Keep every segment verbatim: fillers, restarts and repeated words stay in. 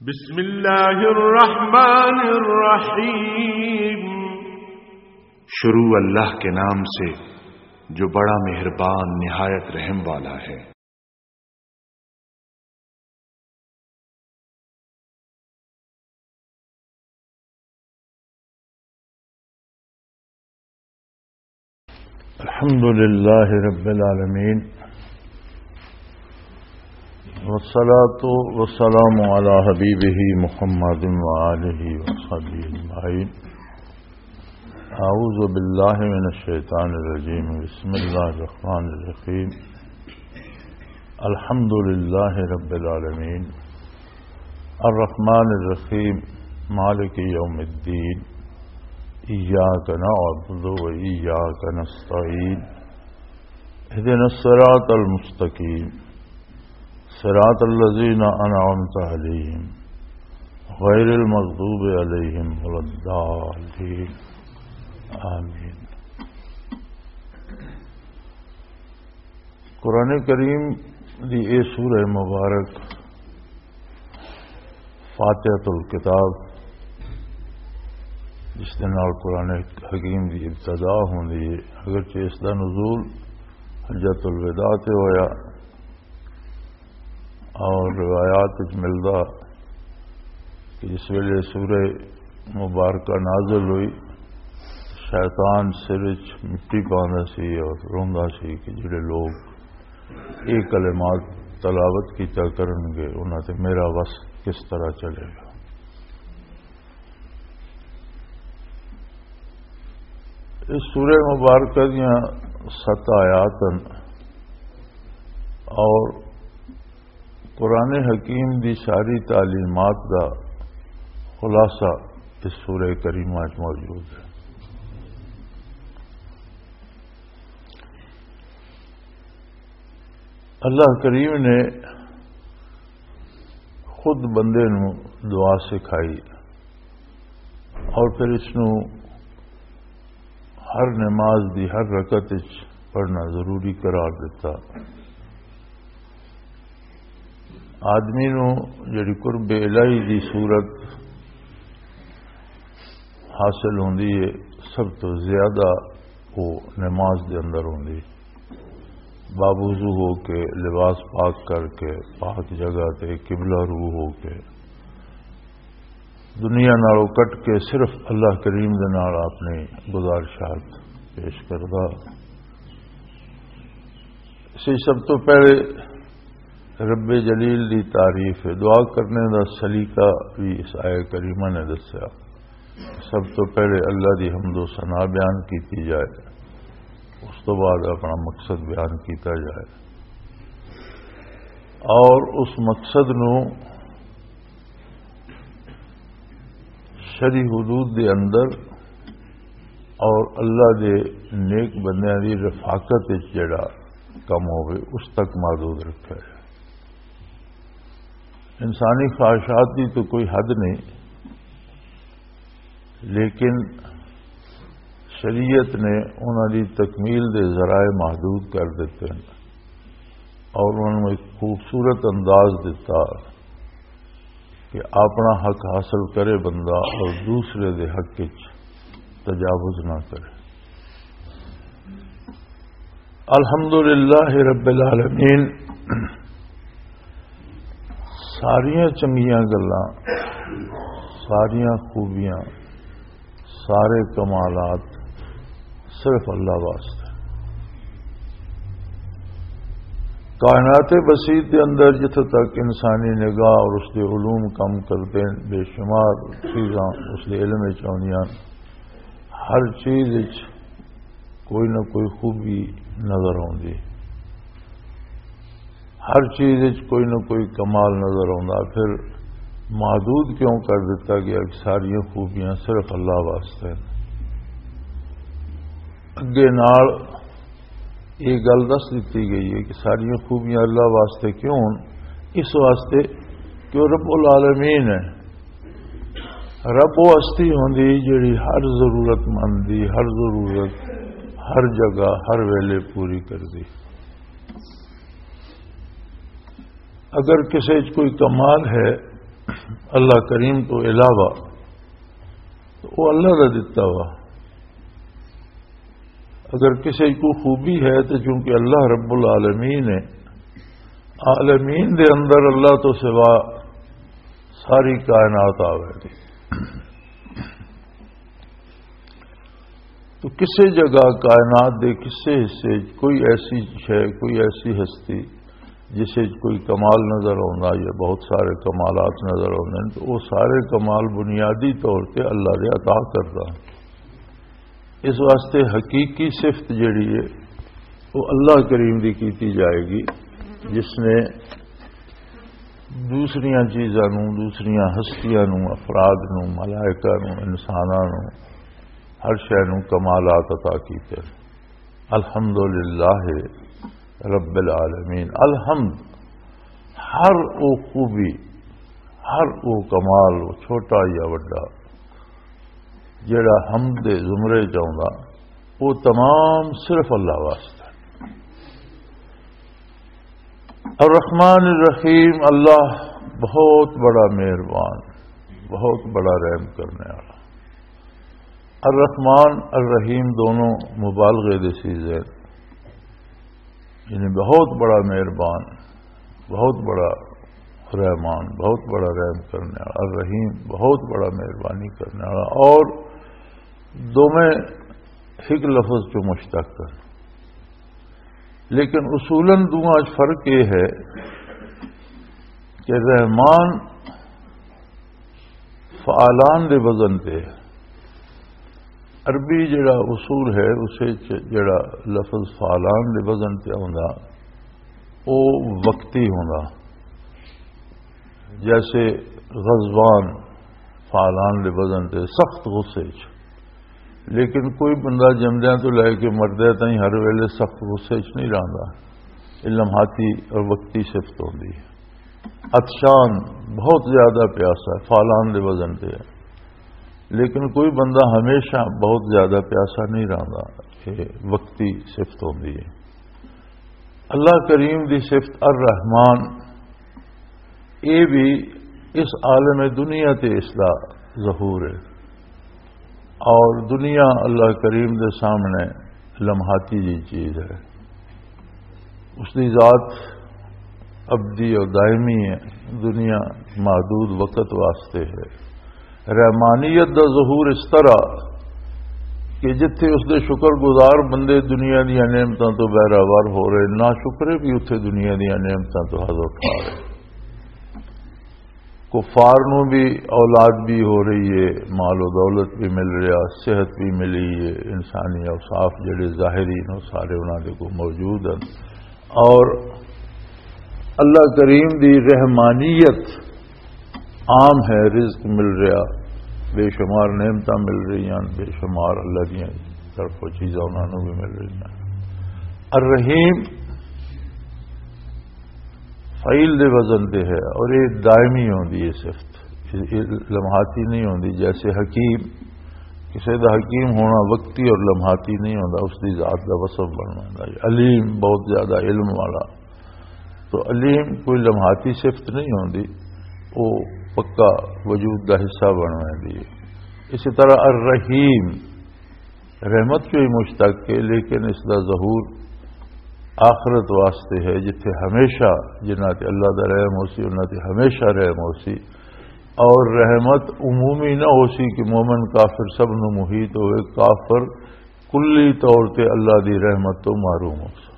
بسم اللہ الرحمن الرحیم۔ شروع اللہ کے نام سے جو بڑا مہربان نہایت رحم والا ہے۔ الحمد لله رب العالمين، والصلاة والسلام على حبيبه محمد وآله وصحبه أجمعين. أعوذ بالله من الشيطان الرجيم. بسم الله الرحمن الرحيم. الحمد لله رب العالمين، الرحمن الرحيم، مالك يوم الدين، إياك نعبد وإياك نستعين، اهدنا الصراط المستقيم، صراط الذين أنعمت عليهم، غير المغضوب عليهم ولا الضالين. آمين. قرآن کریم دی اے سورہ مبارک فاتحۃ الکتاب، جس دے نال قرآن حکیم دی ابتدا ہوندی ہے، اگرچہ اس دا نزول حجۃ الوداع تے ہویا، اور روایات وچ ملدا کہ جس ویلے سورہ مبارکہ نازل ہوئی، شیطان سر وچ مٹی پاندا سی اور روندا سی کہ جڑے لوگ یہ کلمات تلاوت کیتا کرن گے، انہاں تے میرا وس کس طرح چلے گا۔ اس سورہ مبارکہ دیاں ست آیات ہیں اور قرآن حکیم دی ساری تعلیمات دا خلاصہ اس سورہ کریمہ وچ موجود ہے۔ اللہ کریم نے خود بندے نو دعا سکھائی اور پھر اس نو ہر نماز دی ہر رکعت وچ پڑھنا ضروری قرار دتا۔ آدمی نو جڑی قرب الہی دی صورت حاصل ہوندی ہے، سب تو زیادہ وہ نماز دے اندر ہوندی۔ باوضو ہو کے، لباس پاک کر کے، پاک جگہ تے قبلہ رو ہو کے، دنیا نالوں کٹ کے صرف اللہ کریم دے نال اپنی گزارشات پیش کردا۔ اسی سب تو پہلے رب جلیل دی تعریف ہے۔ دعا کرنے دا سلیقہ بھی اس آیہ کریمہ نے دسیا۔ سب تو پہلے اللہ دی حمد و ثنا بیان کیتی جائے، اس تو بعد اپنا مقصد بیان کیتا جائے اور اس مقصد نو شرعی حدود دے اندر اور اللہ دے نیک بندیاں دی رفاقت وچ جڑا کم ہوے، اس تک محدود رکھا ہے۔ انسانی خواہشات دی تو کوئی حد نہیں، لیکن شریعت نے انہاں دی تکمیل دے ذرائع محدود کر دیتے ہیں اور انہاں نوں ایک خوبصورت انداز دیتا کہ اپنا حق حاصل کرے بندہ اور دوسرے دے حق وچ تجاوز نہ کرے۔ الحمدللہ رب العالمین، ساریاں چنگیاں گلاں، ساریاں خوبیاں، سارے کمالات صرف اللہ واسطے۔ کائنات بسیط دے اندر جتھے تک انسانی نگاہ اور اس دے علوم کم کردے ہیں، بے شمار چیزاں اس دے علم وچ آندیاں۔ ہر چیز وچ کوئی نہ کوئی خوبی نظر آندی، ہر چیز وچ کوئی نہ کوئی کمال نظر آندا۔ پھر محدود کیوں کر دتا گیا کہ ساریاں خوبیاں صرف اللہ واسطے ہیں؟ اگے نال یہ گل دس دتی گئی ہے کہ ساریاں خوبیاں اللہ واسطے کیوں ہن؟ اس واسطے کہ وہ رب العالمین ہے۔ رب وہ ہستی ہوندی جڑی ہر ضرورت مند دی ہر ضرورت ہر جگہ ہر ویلے پوری کر دی۔ اگر کسی وچ کوئی کمال ہے اللہ کریم تو علاوہ، تو وہ اللہ کا دتا ہوا۔ اگر کسی کو خوبی ہے تو چونکہ اللہ رب العالمین ہے، عالمین دے اندر اللہ تو سوا ساری کائنات آوے گی۔ تو کسی جگہ کائنات دے کسی حصے وچ کوئی ایسی شے، کوئی ایسی ہستی جس وچ کوئی کمال نظر آوندا یا بہت سارے کمالات نظر آوندے نے، تو وہ سارے کمال بنیادی طور تے اللہ دے عطا کردا۔ اس واسطے حقیقی صفت جڑی ہے، وہ اللہ کریم دی کیتی جائے گی، جس نے دوسریاں چیزاں نوں، دوسریاں ہستیاں نوں، افراد نوں، ملائکہ نوں، انساناں نوں، ہر شے نوں کمالات عطا کیتے۔ الحمدللہ رب العالمین۔ الحمد، ہر او خوبی، ہر او کمال، او چھوٹا یا وڈا، جڑا حمد دے زمرے چ آوندا، وہ تمام صرف اللہ واسطے۔ الرحمن الرحیم، اللہ بہت بڑا مہربان، بہت بڑا رحم کرنے والا۔ الرحمن الرحیم دونوں مبالغے دے سیغے، یعنی بہت بڑا مہربان، بہت بڑا رحمان، بہت بڑا رحم کرنے والا، الرحیم بہت بڑا مہربانی کرنے والا، اور دوویں ایک لفظ چوں مشتق ہے۔ لیکن اصولاً دوواں وچ فرق یہ ہے کہ رحمان فعالان دے وزن تے، عربی جڑا اصول ہے، اس وچ جڑا لفظ فعالان دے وزن تے آوندا، او وقتی ہوندا۔ جیسے غضبان، فعالان دے وزن تے، سخت غصے چ۔ لیکن کوئی بندہ جمدیاں تو لے کے مردے تائیں ہر ویلے سخت غصے چ نہیں رہندا۔ یہ لمحاتی اور وقتی صفت ہوندی ہے۔ عطشان، بہت زیادہ پیاسا ہے، فعالان دے وزن تے ہے۔ لیکن کوئی بندہ ہمیشہ بہت زیادہ پیاسا نہیں رہندا، یہ وقتی صفت ہوندی ہے۔ اللہ کریم دی صفت الرحمان، یہ بھی اس عالم دنیا تے اس دا ظہور ہے، اور دنیا اللہ کریم دے سامنے لمحاتی جی چیز ہے۔ اس دی ذات ابدی اور دائمی ہے، دنیا محدود وقت واسطے ہے۔ رحمانیت دا ظہور اس طرح کہ جتھے اس دے شکر گزار بندے دنیا دیاں نعمتاں تو بہراور ہو رہے، نہ شکرے بھی اتھے دنیا دیاں نعمتاں تو حظ اٹھا رہے۔ کفار نوں بھی اولاد بھی ہو رہی ہے، مال و دولت بھی مل رہا، صحت بھی ملی ہے، انسانی اوصاف جڑے ظاہری نے سارے انہاں دے کو موجود ہیں۔ اور اللہ کریم دی رحمانیت عام ہے، رزق مل رہا، بے شمار نعمتاں مل رہی ہیں، بے شمار اللہ دیاں طرفوں چیزاں انہاں نوں بھی مل رہی ہیں۔ الرحیم فعیل دے وزن تے ہے، اور یہ دائمی ہوندی ہے صفت، یہ لمحاتی نہیں ہوندی۔ جیسے حکیم، کسی دا حکیم ہونا وقتی اور لمحاتی نہیں ہوندا، اس دی ذات دا وصف بننا ہے۔ علیم، بہت زیادہ علم والا، تو علیم کوئی لمحاتی صفت نہیں ہوندی، وہ پکا وجود دا حصہ بننا ہے۔ اسی طرح الرحیم، رحمت چوں ہی مشتق ہے، لیکن اس دا ظہور آخرت واسطے ہے، جتھے ہمیشہ جنہاں تے اللہ دا رحم ہو سی، انہاں تے ہمیشہ رحم ہو سی۔ اور رحمت عمومی نہ ہو سی کہ مومن کافر سب نو محیط ہوئے، کافر کلی طور تے اللہ دی رحمت تو محروم ہو سی۔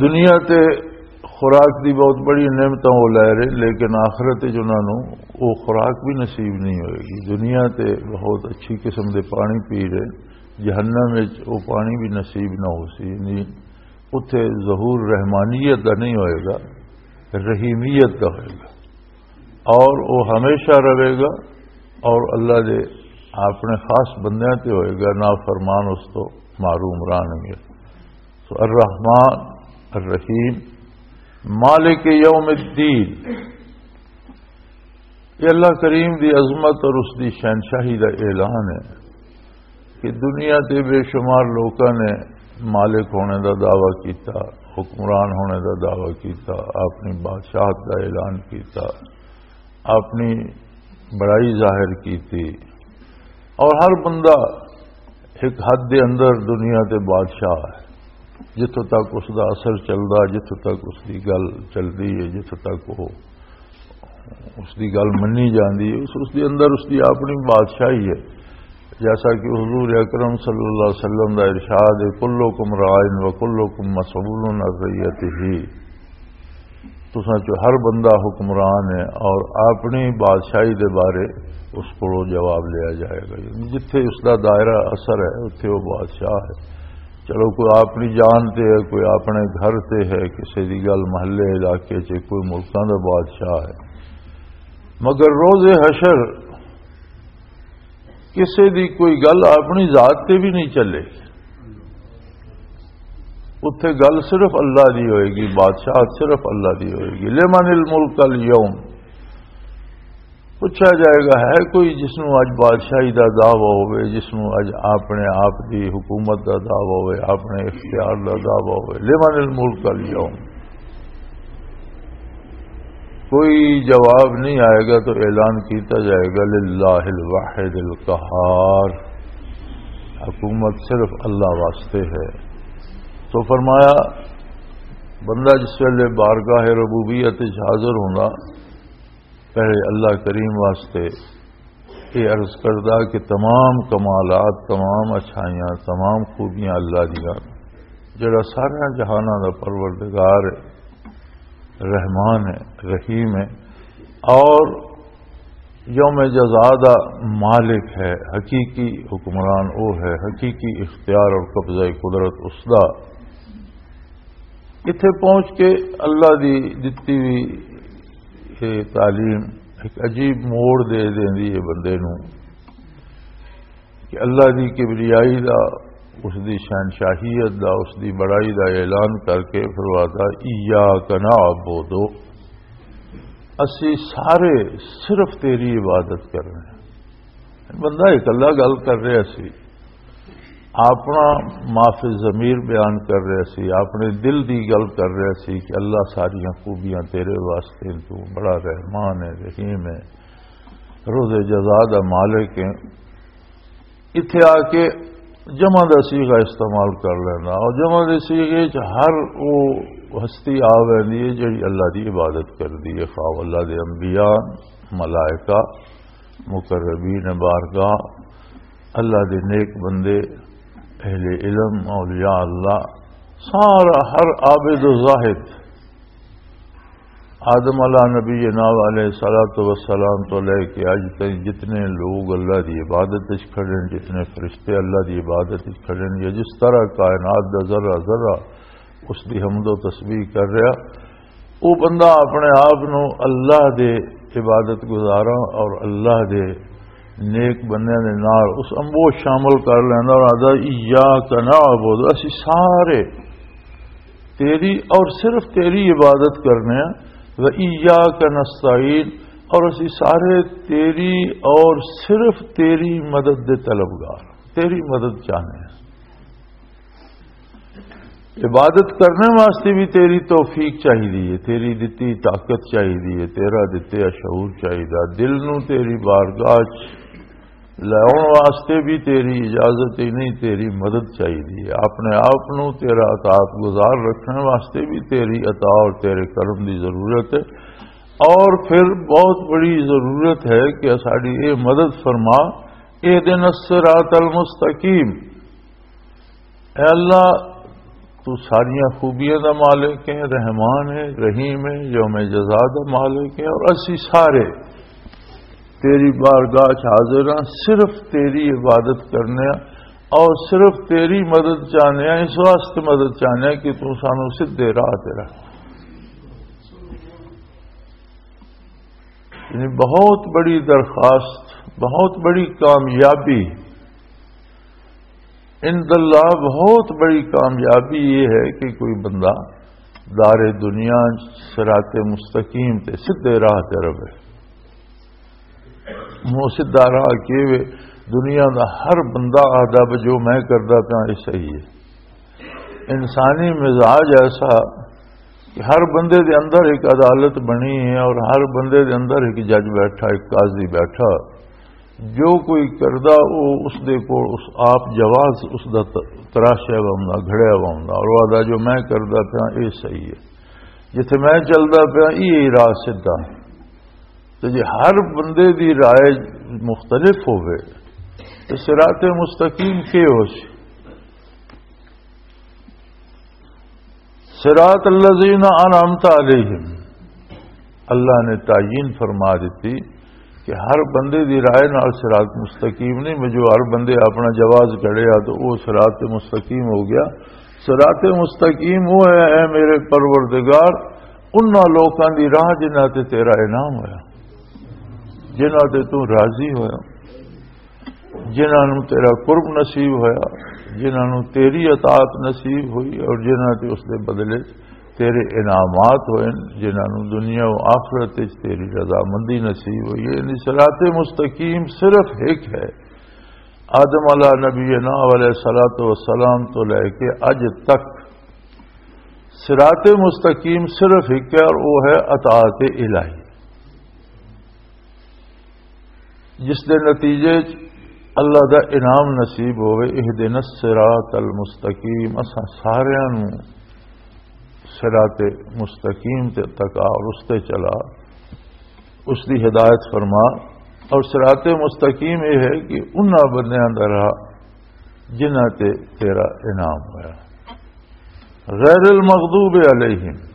دنیا تے خوراک دی بہت بڑی نعمتاں وہ لے رہے، لیکن آخرت وچ انہاں نوں وہ خوراک بھی نصیب نہیں ہوئے گی۔ دنیا تے بہت اچھی قسم دے پانی پی رہے، جہنم وچ وہ پانی بھی نصیب نہ ہو سی۔ یعنی اتھے ظہور رحمانیت دا نہیں ہوئے گا، رحیمیت دا ہوئے گا۔ اور وہ ہمیشہ رہے گا، اور اللہ دے اپنے خاص بندیاں تے ہوئے گا، نافرمان اس تو محروم رہن گے۔ تو الرحمن الرحیم، مالک یوم الدین، یہ اللہ کریم دی عظمت اور اس دی شہنشاہی دا اعلان ہے کہ دنیا تے بے شمار لوکاں نے مالک ہونے دا دعویٰ کیتا، حکمران ہونے دا دعویٰ کیتا، اپنی بادشاہت دا اعلان کیتا، اپنی بڑائی ظاہر کیتی، اور ہر بندہ ایک حد دے اندر دنیا تے بادشاہ ہے۔ جتھوں تک اس دا اثر چلدا، جتھوں تک اس دی گل چلدی ہے، جتھوں تک وہ اس دی گل منی جاندی ہے، اس، اس دے اندر اس دی اپنی بادشاہی ہے۔ جیسا کہ حضور اکرم صلی اللہ علیہ وسلم دا ارشاد ہے، "کلکم راعٍ و کلکم مسئول عن رعیتہ۔" تساں چوں ہر بندہ حکمران ہے اور اپنی بادشاہی دے بارے اس کولوں جواب لیا جائے گا۔ یعنی جتھے اس دا دائرہ اثر ہے، اتھے وہ بادشاہ ہے۔ چلو، کوئی اپنی جان تے ہے، کوئی اپنے گھر تے ہے، کسی دی گل محلے، علاقے چ، کوئی ملکاں دا بادشاہ ہے، مگر روز حشر کسی دی کوئی گل اپنی ذات تے بھی نہیں چلے۔ اتھے گل صرف اللہ دی ہوئے گی، بادشاہت صرف اللہ دی ہوئے گی۔ "لمن الملک الیوم"، پوچھا جائے گا، ہے کوئی جس نوں اج بادشاہی دا دعویٰ ہوئے، جس نوں اج اپنے آپ دی حکومت دا دعویٰ ہوئے، اپنے اختیار دا دعویٰ ہوئے؟ "لمن الملک الیوم"، کوئی جواب نہیں آئے گا تو اعلان کیتا جائے گا، "للہ الواحد القہار"، حکومت صرف اللہ واسطے ہے۔ تو فرمایا، بندہ جس ویلے بارگاہ ربوبیت وچ حاضر ہوندا، پہلے اللہ کریم واسطے یہ عرض کردا کہ تمام کمالات، تمام اچھائیاں، تمام خوبیاں اللہ دیاں، جڑا سارے جہاناں دا پروردگار ہے، رحمان ہے، رحیم ہے، اور یوم جزا دا مالک ہے، حقیقی حکمران وہ ہے، حقیقی اختیار اور قبضہ قدرت اس دا۔ اتھے پہنچ کے اللہ دی دتی ہوئی یہ تعلیم ایک عجیب موڑ دے دیندی ہے بندے نوں، کہ اللہ دی کبریائی دا، اس دی شہنشاہیت دا، اس دی بڑائی دا اعلان کر کے فرماتا، "ایاک نعبد"، اسی سارے صرف تیری عبادت کرنے ہیں۔ بندہ اکلا گل کر رہا سی، اپنا ما فی ضمیر بیان کر رہا سی، اپنے دل دی گل کر رہا سی کہ اللہ ساریاں خوبیاں تیرے واسطے، تو بڑا رحمان ہے، رحیم ہے، روز جزا دا مالک ہے۔ اتھے آ کے جمع دا صیغہ استعمال کر لینا، اور جمع دے صیغے چ ہر وہ ہستی آ ویندی ہے جڑی اللہ دی عبادت کردی ہے، خواہ اللہ دے انبیاء، ملائکہ، مقربین بارگاہ، اللہ دے نیک بندے، اہل علم، اولیاء اللہ، سارا ہر عابد و زاہد، آدم علیہ نبی جناب علیہ الصلوۃ والسلام تو لے کے اج تک جتنے لوگ اللہ دی عبادت وچ کھڑے ہیں، جتنے فرشتے اللہ دی عبادت وچ کھڑے ہیں، یا جس طرح کائنات دا ذرہ ذرہ اس دی حمد و تسبیح کر رہا، وہ بندہ اپنے آپ نو اللہ دے عبادت گزاراں اور اللہ دے نیک بندیاں دے نال اس امبو شامل کر لیندا اور آہدا، "ایاک نعبد"، اسی سارے تیری اور صرف تیری عبادت کرنے ہیں، "و ایاک نستعین"، اور اسی سارے تیری اور صرف تیری مدد دے طلبگار، تیری مدد چاہنے ہیں۔ عبادت کرنے واسطے بھی تیری توفیق چاہیے، تیری دتی طاقت چاہیے، تیرا دتیا شعور چاہیے، دل نو تیری بارگاہ چ لیاؤن واسطے بھی تیری اجازت ہی نہیں، تیری مدد چاہیے۔ اپنے آپ نو تیرا اطاعت گزار رکھنے واسطے بھی تیری عطا اور تیرے کرم دی ضرورت ہے۔ اور پھر بہت بڑی ضرورت ہے کہ ساڈی یہ مدد فرما، اہدنا الصراط المستقیم۔ اے اللہ، تو ساریاں خوبیاں دا مالک ہے، رحمان ہے، رحیم ہے، یوم جزا دا مالک ہے، اور اسی سارے تیری بارگاہ چ حاضر ہاں، صرف تیری عبادت کرنے ہاں اور صرف تیری مدد چاہنے ہاں، اس واسطے مدد چاہنے ہاں کہ تو سانو سدھے راہ تے رکھ۔ یعنی بہت بڑی درخواست، بہت بڑی کامیابی، عند اللہ بہت بڑی کامیابی یہ ہے کہ کوئی بندہ دار دنیا صراط مستقیم تے سدھے راہ تے رہے۔ وہ سدھا راہ کی وے؟ دنیا دا ہر بندہ آہدا بھی جو میں کردا پیا یہ صحیح ہے۔ انسانی مزاج ایسا کہ ہر بندے دے اندر ایک عدالت بنی ہے اور ہر بندے دے اندر ایک جج بیٹھا، ایک قاضی بیٹھا۔ جو کوئی کردا، وہ اس دے کول اس آپ جواز اس دا ت-، تراشیا ہوا ہوندا، گھڑیا ہوا ہوندا، اور وہ آہدا، "جو میں کردا پیا، یہ صحیح ہے، جتھے میں چلدا پیا، یہ راہ سدھا۔" تو جے ہر بندے دی رائے مختلف ہوئے، تو صراط مستقیم کی ہو سی؟ صراط الذین انعمت علیہم، اللہ نے تعین فرما دیتی کہ ہر بندے دی رائے نال صراط مستقیم نہیں۔ میں جو ہر بندے اپنا جواز کھڑے آ تو وہ صراط مستقیم ہو گیا۔ صراط مستقیم وہ ہے، اے میرے پروردگار، انہاں لوکاں دی راہ جنہاں تے تیرا انعام ہویا، جنہاں تے تو راضی ہویا، جنہاں نوں تیرا قرب نصیب ہویا، جنہاں نوں تیری اطاعت نصیب ہوئی اور جنہاں تے اس دے بدلے تیرے انعامات ہوئے، جنہاں نوں دنیا و آخرت وچ تیری رضامندی نصیب ہوئی ہے۔ یعنی صراط مستقیم صرف ایک ہے۔ آدم علیہ نبینا علیہ الصلوۃ والسلام تو لے کے اج تک صراط مستقیم صرف ایک ہے، اور وہ ہے اطاعت الہی، جس دے نتیجے چ اللہ دا انعام نصیب ہوئے۔ اہدنا الصراط المستقیم، اساں ساریاں نوں صراط مستقیم تے تک آ اور اس تے چلا، اس دی ہدایت فرما۔ اور صراط مستقیم یہ ہے کہ انہاں بندیاں دا راہ جنہاں تے تیرا انعام ہویا، غیر المغضوب علیہم،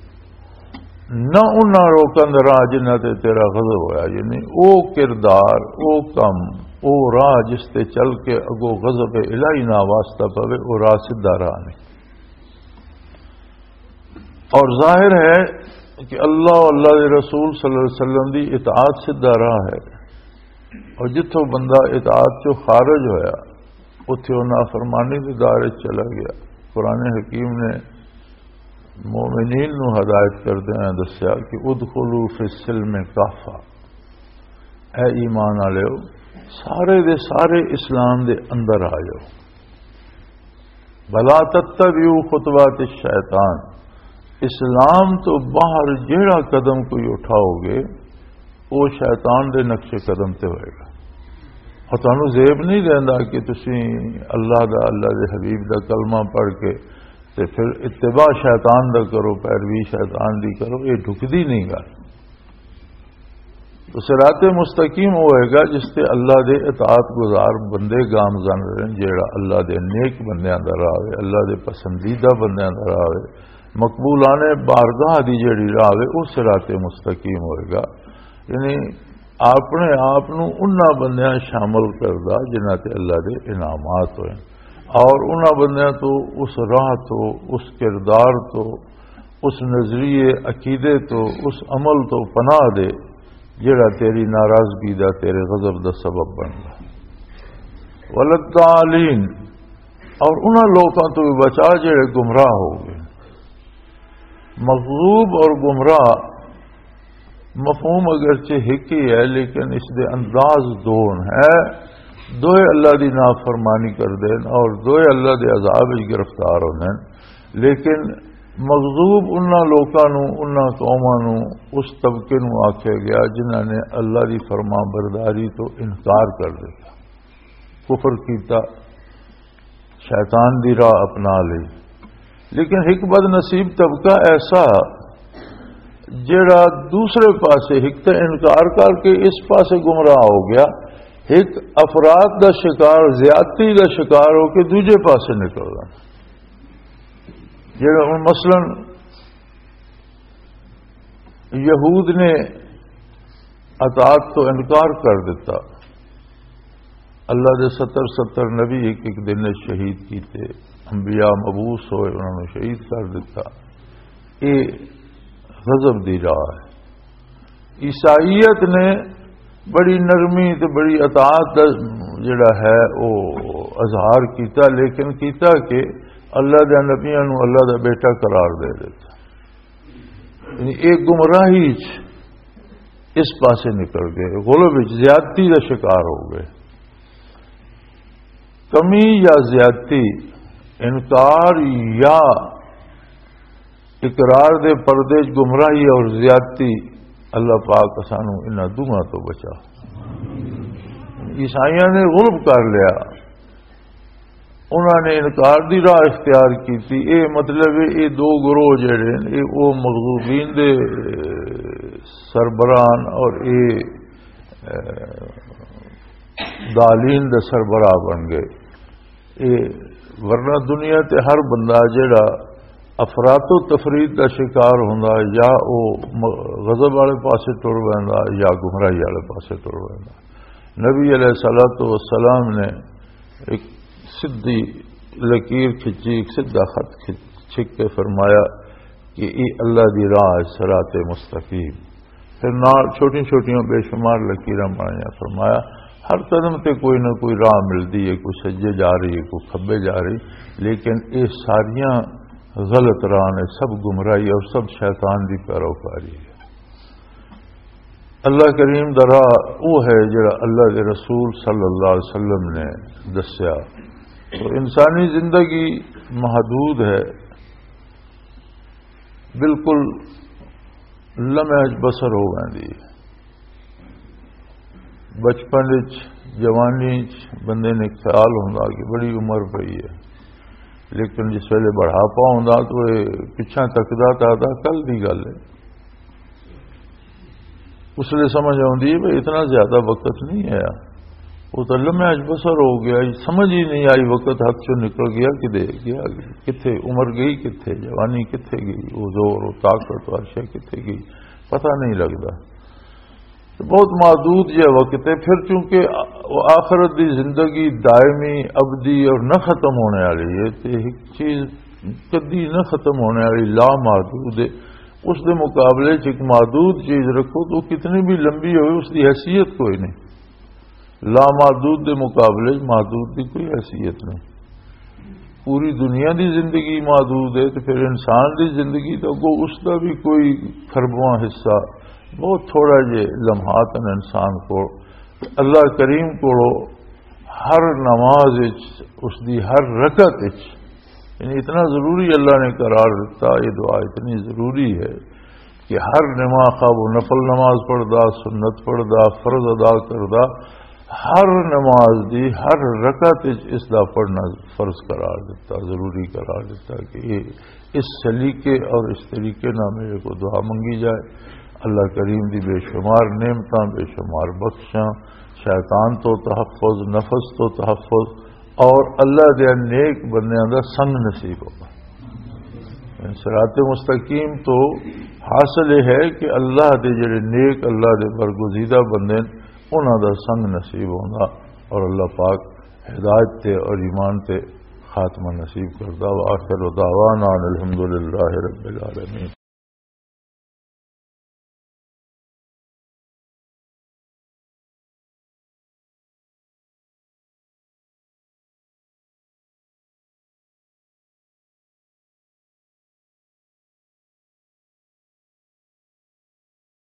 نہ انہاں لوکاں دا راہ جنہاں تے تیرا غضب ہویا، یعنی او کردار، او کم، او راہ جس تے چل کے اگو غضب الہی نہ واسطہ پوے، او راہ سدھا راہ نہیں۔ اور ظاہر ہے کہ اللہ اور اللہ دے رسول صلی اللہ علیہ وسلم دی اطاعت سدھا راہ ہے، اور جتھوں بندہ اطاعت چوں خارج ہویا، اتھے وہ نافرمانی دے دائرے چلا گیا۔ قرآن حکیم نے مومنین نو ہدایت کردے ہوئے دسیا کہ "ادخلوا فی السلم کافہ"، اے ایمان والےو، سارے دے سارے اسلام دے اندر آ جاؤ۔ "ولا تتبعوا خطوات الشیطان"، اسلام تو باہر جیڑا قدم کوئی اٹھاؤ گے، وہ شیطان دے نقش قدم تے ہوئے گا۔ اور تانوں زیب نہیں دیندا کہ تسی اللہ دا، اللہ دے حبیب دا کلمہ پڑھ کے تے پھر اتباع شیطان دا کرو، پیروی شیطان دی کرو، یہ ڈھکدی نہیں گل۔ تو صراط مستقیم وہ ہوئے گا جس تے اللہ دے اطاعت گزار بندے گامزن رہن، جیڑا اللہ دے نیک بندیاں دا راہ ہوئے، اللہ دے پسندیدہ بندیاں دا راہ ہوئے، مقبولان بارگاہ دی جیڑی راہ ہوئے، وہ صراط مستقیم ہوئے گا۔ یعنی اپنے آپ نو انہاں بندیاں شامل کردا جنہاں تے اللہ دے انعامات ہوئے، اور انہاں بندیاں تو، اس راہ تو، اس کردار تو، اس نظریے، عقیدے تو، اس عمل تو پناہ دے جڑا تیری ناراضگی دا، تیرے غضب دا سبب بندا۔ وللضالین، اور انہاں لوکاں تو بھی بچا جڑے گمراہ ہو گئے۔ مغضوب اور گمراہ مفہوم اگرچہ ایک ہی ہے، لیکن اس دے انداز دو ہے۔ دوئے اللہ دی نافرمانی کر دین اور دوئے اللہ دے عذاب وچ گرفتار ہوندے ہیں۔ لیکن مغضوب انہاں لوکاں نو، انہاں قوماں نو، اس طبقے نو آکھیا گیا جنہاں نے اللہ دی فرما برداری تو انکار کر دیتا، کفر کیتا، شیطان دی راہ اپنا لی۔ لیکن ایک بد نصیب طبقہ ایسا جڑا دوسرے پاسے ایک تے انکار کر کے اس پاسے گمراہ ہو گیا، ایک افراط دا شکار، زیادتی دا شکار ہو کے دوجے پاسے نکل گیا۔ جڑا ہن مثلاً یہود نے اطاعت تو انکار کر دیتا، اللہ دے ستر ستر نبی ایک ایک دن وچ شہید کیتے، انبیاء مبعوث ہوئے، انہاں نوں شہید کر دیتا۔ یہ غضب دی راہ ہے۔ عیسائیت نے بڑی نرمی تے بڑی اطاعت دا جڑا ہے وہ اظہار کیتا، لیکن کیتا کہ اللہ دے نبیاں نوں اللہ دا بیٹا قرار دے دیتا۔ یعنی ایک گمراہی چ اس پاسے نکل گئے، غلو وچ زیادتی دا شکار ہو گئے۔ کمی یا زیادتی، انکار یا اقرار دے پردے چ گمراہی اور زیادتی، اللہ پاک سانو انہاں دوہاں تو بچا۔ عیسائیاں نے غلب کر لیا، انہاں نے انکار دی راہ اختیار کیتی۔ اے مطلب ہے، اے دو گروہ جڑے نے، اے او مغضوبین دے سربراہ اور اے، اے، دالین دے سربراہ بن گئے۔ اے ورنہ دنیا تے ہر بندہ جڑا افراط و تفریط دا شکار ہوندا، یا او م-، غضب والے پاسے ٹر ویندا یا گمراہی والے پاسے ٹر ویندا۔ نبی علیہ الصلوۃ والسلام نے ایک سدھی لکیر کھچی، ایک سدھا خط کھچ-، چھک کے فرمایا کہ اے اللہ دی راہ ہے، صراط مستقیم۔ پھر نال چھوٹیاں چھوٹیاں بے شمار لکیراں بنائیاں۔ فرمایا، ہر قدم تے کوئی نہ کوئی راہ ملدی ہے، کوئی سجے جا رہی ہے، کوئی کھبے جا رہی، لیکن اے ساریاں غلط راہ نے، سب گمراہی اور سب شیطان دی پیروکاری ہے۔ اللہ کریم دا راہ وہ ہے جڑا اللہ دے رسول صلی اللہ علیہ وسلم نے دسیا۔ تو انسانی زندگی محدود ہے، بالکل لمحے چ بسر ہو ویندی ہے۔ بچپن وچ، جوانی وچ بندے نے خیال ہوندا کہ بڑی عمر پئی ہے، لیکن جس ویلے بڑھاپا ہوندا تو یہ پچھاں تکدا تو آہدا، "کل دی گل ہے۔" اس لیے سمجھ آتی ہے بھئی اتنا زیادہ وقت نہیں آیا، وہ تو لمحے چ بسر ہو گیا، سمجھ ہی نہیں آئی، وقت ہاتھ چوں نکل گیا، کدے گیا، کتھے عمر گئی، کتھے جوانی، کتھے گئی، وہ زور، وہ طاقت، وہ شے کتھے گئی، پتہ نہیں لگدا۔ تو بہت محدود جہا وقت ہے۔ پھر چونکہ آ-، آخرت دی زندگی دائمی، ابدی اور نہ ختم ہونے والی ہے، تو ایک چیز کدی نہ ختم ہونے والی، لامحدود ہے۔ اس دے مقابلے چ ایک محدود چیز رکھو تو کتنی بھی لمبی ہوئے، اس دی حیثیت کوئی نہیں۔ لامحدود دے مقابلے چ محدود دی کوئی حیثیت نہیں۔ پوری دنیا دی زندگی محدود ہے، تو پھر انسان دی زندگی تو اگوں اس دا بھی کوئی خربواں حصہ، بہت تھوڑا جے لمحات ہیں انسان کو۔ اللہ کریم کو ہر نماز وچ، اس دی ہر رکعت وچ، یعنی اتنا ضروری اللہ نے قرار دیتا، یہ دعا اتنی ضروری ہے کہ ہر نماز، خواہ وہ نفل نماز پڑھدا، سنت پڑھدا، فرض ادا کردا، ہر نماز دی ہر رکعت وچ اس دا پڑھنا فرض قرار دیتا، ضروری قرار دیتا کہ یہ اس سلیقے اور اس طریقے نال میرے کو دعا منگی جائے۔ اللہ کریم دی بے شمار نعمتاں، بے شمار بخشاں، شیطان تو تحفظ، نفس تو تحفظ، اور اللہ دے نیک بندیاں دا سنگ نصیب ہوگا۔ صراط مستقیم تو حاصل یہ ہے کہ اللہ دے جڑے نیک، اللہ دے برگزیدہ بندے نے، انہاں دا سنگ نصیب ہونا، اور اللہ پاک ہدایت تے اور ایمان تے خاتمہ نصیب کردا۔ وآخر دعوانا ان الحمدللہ رب العالمین۔